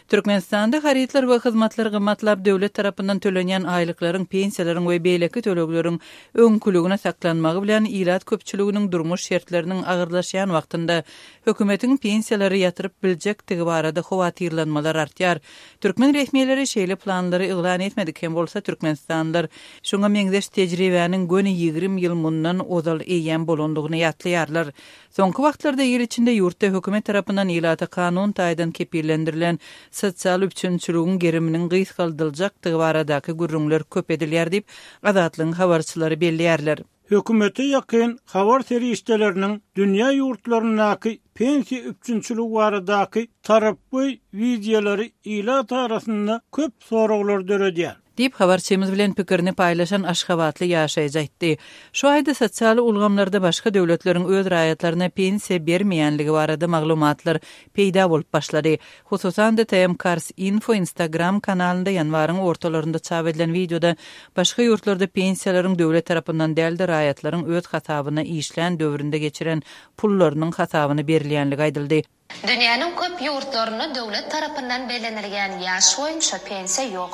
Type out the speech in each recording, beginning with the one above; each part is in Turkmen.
Türkmenistanda harytlar we hyzmatlar gymmatlap, döwlet tarapyndan tölenýän aýlyklaryň, pensiýalaryň we beýleki tölegleriň öňküligine saklanmagy bilen ilat köpçüliginiň durmuş şertleriniň agyrlaşýan wagtynda hökümetiň pensiýalary ýatyryp biljekdigi barada howatyrlanmalar artýar. Türkmen resmileri şeýle planlary yglan etmedik hem bolsa, türkmenistanlylar şuňa meňzeş tejribäniň göni 20 ýyl mundan ozal eýýäm bolandygyny ýatlaýarlar. Soňky wagtlarda il içinde ýurtda hökümet tarapyndan ilata kanun taýdan kepillendirilen sosial üpjünçiligiň geriminiň gysgaldyljakdygy baradaky gürrüňler köp edilýär diýip, Azatlygyň habarçylary belleýärler. Hökümete ýakyn habar serişdeleriniň dünýä ýurtlaryndaky pensiýa üpjünçiligi baradaky tarapgöý wideolary ilat arasynda köp soraglary döredýär. Diýip, habarçymyz bilen pikirini paýlaşan aşgabatly ýaşaýjy aýtdy. Şu aýda sosial ulgamlarda başga döwletleriň öz raýatlaryna pensiýa bermeýänligi barada maglumatlar peýda bolup başlady. Hususan-da, TmCars Info Instagram kanalynda ýanwaryň ortalarynda çap edilen wideoda başga ýurtlarda pensiýalaryň döwlet tarapyndan däl-de, raýatlaryň öz hasabyna işlän döwründe geçiren pullarynyň hasabyna berilýänligi aýdyldy. Dünýäniň köp ýurtlarynda döwlet tarapyndan bellenilýän ýaş boýunça pensiýa ýok.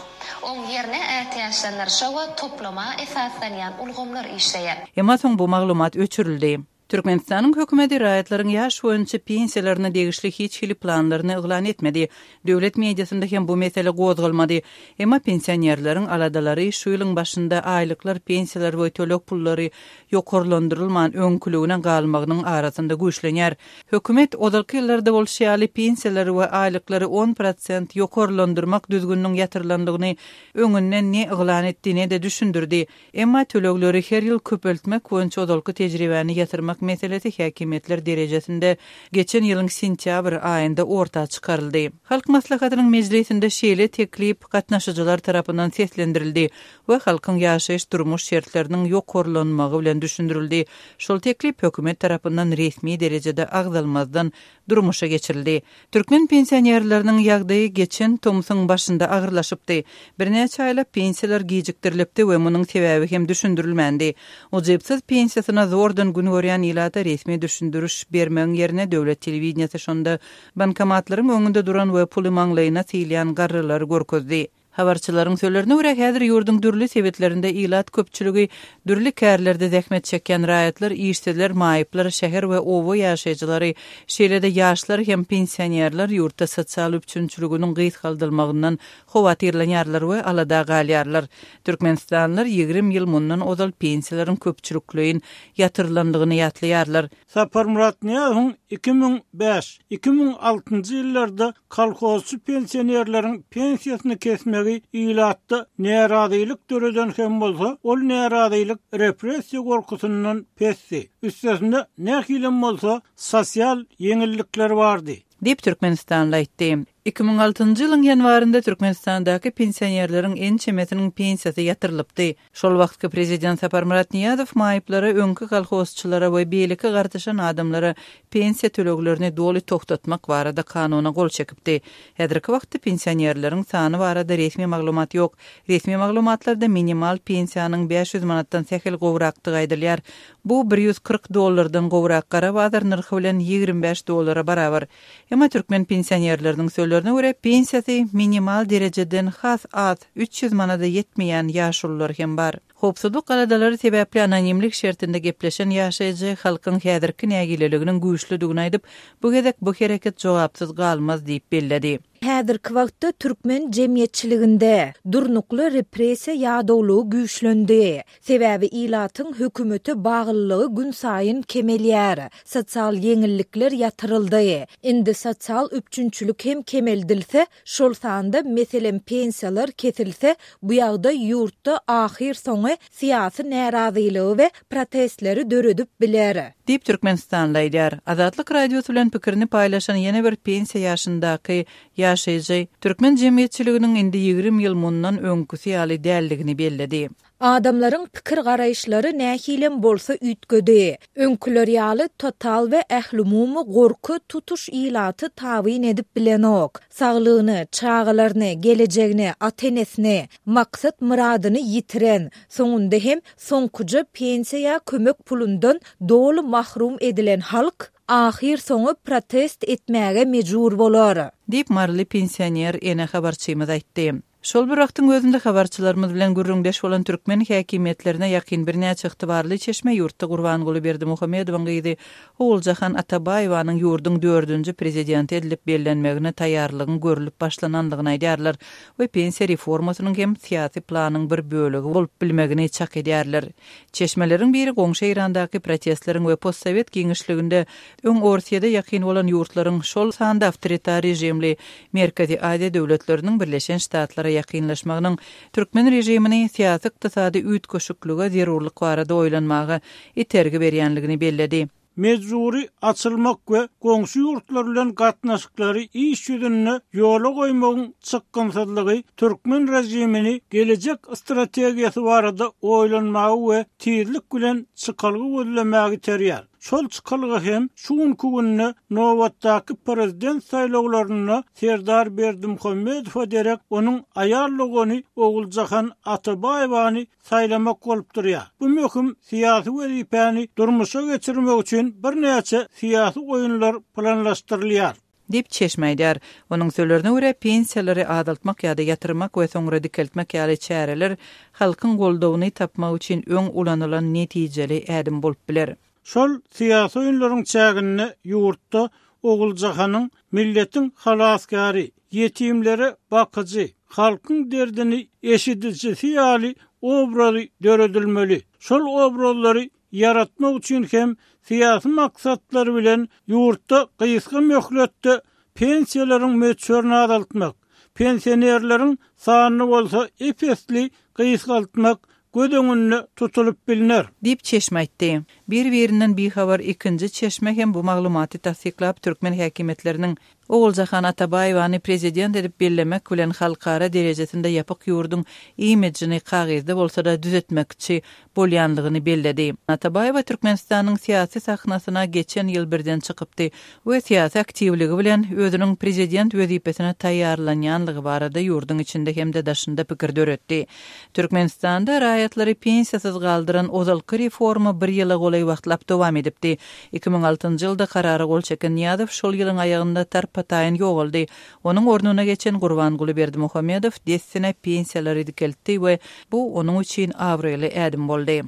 Oň ýerine ätiýaçlandyryşa we toplama esaslanýan ulgamlar işleýär. Emma soň bu maglumat öçürildi. Türkmenistanyň hökümeti raýatlaryň ýaş boýunça pensiýalaryna degişli hiç hili planlaryny yglan etmedi. Döwlet mediasynda hem bu mesele gozgalmady. Emma pensionerleriň aladalary şu ýylyň başynda aýlyklar, pensiýalar we töleg pullary ýokarlandyrylman öňküligine galmagynyň arasynda güýçlenýär. Hökümet, ozalky ýyllarda bolşy ýaly, pensiýalary we aýlyklary 10% ýokarlandyrmak düzgüniniň ýatyrylandygyny öňünden ne yglan etdi, ne-de düşündirdi. Emma tölegleri her ýyl köpeltmek boýunça ozalky tejribäni ýatyrmak meselesi häkimiýetler derejesinde geçen ýylyň sentýabr aýynda orta çykaryldy. Halk Maslahatynyň mejlisinde şeýle teklip gatnaşyjylar tarapyndan seslendirildi we halkyň ýaşaýyş-durmuş şertleriniň ýokarlanmagy bilen düşündirildi. Şol teklip hökümet tarapyndan resmi derejede agzalmazdan durmuşa geçirildi. Türkmen pensionerleriniň ýagdaýy geçen tomsuň başynda agyrlaşypdy. Birnäçe aýlap pensiýalar gijikdirilipdi we munuň sebäbi hem düşündirilmändi. Ujypsyz pensiýasyna zordan gün görýän ilata resmi düşündiriş bermegiň ýerine döwlet telewideniýesi şonda bankomatlaryň öňünde duran we puly maňlaýyna sylýan garrylary görkezdi. Habarçylaryň sözlerine görä, häzir ýurduň dürli sebitlerinde ilat köpçüligi, dürli kärlerde zähmet çekýän raýatlar, işsizler, maýyplar, şäher we oba ýaşaýjylary, şeýle-de ýaşlar hem pensionerler ýurtda sosial üpjünçiliginiň gysgaldylmagyndan howatyrlanýarlar we alada galýarlar. Türkmenistanlylar 20 ýyl mundan ozal pensiýalaryň köpçülikleýin ýatyrylandygyny ýatlaýarlar. Saparmyrat Nyýazowyň 2005, 2006-njy ýyllarda kolhozçy pensionerleriň pensiýasyny kesmegi ilatda närazylyk döreden hem bolsa, ol närazylyk repressiýa gorkusyndan pesdi. Üstesine, nähilem bolsa, sosial ýeňillikler bardy. Diýip, türkmenistanly aýtdy. 2006-njy ýylyň ýanwarynda Türkmenistandaky pensionerleriň ençemesiniň pensiýasy ýatyrylypdy. Şol wagtky prezident Saparmyrat Nyýazow maýyplara, öňki kolhozçylara we beýleki gartaşan adamlara pensiýa töleglerini doly togtatmak barada kanuna gol çekipdi. Häzirki wagtda pensionerleriň sany barada resmi maglumat ýok. Resmi maglumatlarda minimal pensiýanyň 500 manatdan sähel gowrakdygy aýdylýar. Bu 140 dollardan gowrak gara bazar nyrhy bilen 25 dollara barabar. Emma türkmen pensionerleriniň sözlerine görä, pensiýasy minimal derejeden has az, 300 manada ýetmeýän ýaşulular hem bar. Howpsuzlyk aladalary sebäpli anonimlik şertinde gepleşen ýaşaýjy halkyň häzirki nägileliginiň güýçlüdigini aýdyp, bu gezek bu hereket jogapsyz galmaz diýip belledi. Häzirki wagtda türkmen jemgyýetçiliginde durnukly repressiýa ýadawlygy güýçlendi. Sebäbi ilatyň hökümete baglylygy günsaýyn kemelýär. Sosial ýeňillikler ýatyryldy. Indi sosial üpjünçilik hem kemeldilse, şol sanda, meselem, pensiýalar kesilse, bu ýagdaý ýurtda ahyrsoňy syýasy närazylygy we protestleri döredip biler. Diýip, türkmenistanly aýdýar. Azatlyk Radiosy bilen pikirini paýlaşan ýene bir pensiýa ýaşyndaky ýaşaýjy türkmen jemgyýetçiliginiň indi 20 ýyl mundan öňküsi ýaly däldigini belledi. Adamlaryň pikir-garaýyşlary nähilem bolsa üýtgedi. Öňküler ýaly total we ählumumy gorky tutuş ilaty tabyn edip bilenok. Saglygyny, çagalaryny, gelejegini, ata-enesini, maksat-myradyny ýitiren, soňunda hem soňkuja pensiýa ýa kömek pulundan doly mahrum edilen halk. Ahyrsoňy protest etmäge mejbur bolar. Diýip, maryly pensioner ene habarçymyz aýtdy. Şol bir wagtyň özünde habarçylarymyz bilen gürrüňdeş bolan türkmen häkimiýetlerine ýakyn birnäçe ygtybarly çeşme ýurtda Gurbanguly Berdimuhamedowyň gyzy Oguljahan Atabaýewanyň ýurduň dördünji prezidenti edilip bellenmegine taýýarlygyň görlüp başlanandygyny aýdýarlar we pensiýa reformasynyň hem syýasy planyň bir bölegi bolup bilmegini çak edýärler. Çeşmeleriň biri goňşy Eýrandaky protestleriň we postsowet giňişliginde öň Orsýede ýakyn bolan ýurtlaryň, şol sanda awtoritar režimli Merkezi Aziýa döwletleriniň Birleşen Ştatlara ýakynlaşmagynyň türkmen režimini syýasy-ykdysady üýtgeşiklige zerurlyk barada oýlanmaga itergi berýänligini belledi. Mejbury açylmak we goňşy ýurtlar bilen gatnaşyklary iş ýüzünde ýola goýmagyň çykgynsyzlygy türkmen režimini gelejek strategiýasy barada oýlanmaga we tizlik bilen çykalga gözlemäge iterýär. Şol çykalga hem şu günki günde nobatdaky prezident saýlawlarynda Serdar Berdimuhamedowa derek onuň aýal dogany Oguljahan Atabaýewany saýlamak bolup durýar. Bu möhüm syýasy wezipäni durmuşa geçirmek üçin birnäçe syýasy oýunlar planlaşdyrylýar. Diýip, çeşme aýdýar. Onuň sözlerine görä, pensiýalary azaltmak ýa-da ýatyrmak we soňra dikeltmek ýaly çäreler halkyň goldawyny tapmak üçin öň ulanylan netijeli ädim bolup biler. Şol syýasy oýunlaryň çäginde ýurtda Oguljahanyň milletiň halasgäri, ýetimlere bakyjy, halkyň derdini eşidijisi ýaly obrazy döredilmeli. Şol obrazlary ýaratmak üçin hem syýasy maksatlar bilen ýurtda gysga möhletde pensiýalaryň möçberini azaltmak, pensionerleriň sanyny bolsa ep-esli gysgaltmak göz öňünde tutulyp bilner. Diýip, çeşme aýtdy. Bir-birinden bihabar ikinji çeşme hem bu maglumaty tassyklap, türkmen häkimiýetleriniň Oguljahan Atabaýewany prezident edip bellemek bilen halkara derejesinde ýapyk ýurduň imidžini kagyzda bolsa-da düzetmekçi bolýanlygyny belledi. Atabaýewa Türkmenistanyň syýasy sahnasyna geçen ýyl birden çykypdy we syýasy aktiwligi bilen özüniň prezident wezipesine taýýarlanýanlygy barada ýurduň içinde hem-de daşynda pikir döretdi. Türkmenistanda raýatlary pensiýasyz galdyran ozalky reforma bir ýyla golaý wagtlap dowam edipdi. 2006-njy ýylda karara gol çeken Nyýazow şol ýylyň aýagynda tarpa-taýyn ýogaldy. Onuň ornuna geçen Gurbanguly Berdimuhamedow dessine pensiýalary dikeltdi we bu onuň üçin abraýly ädim boldy.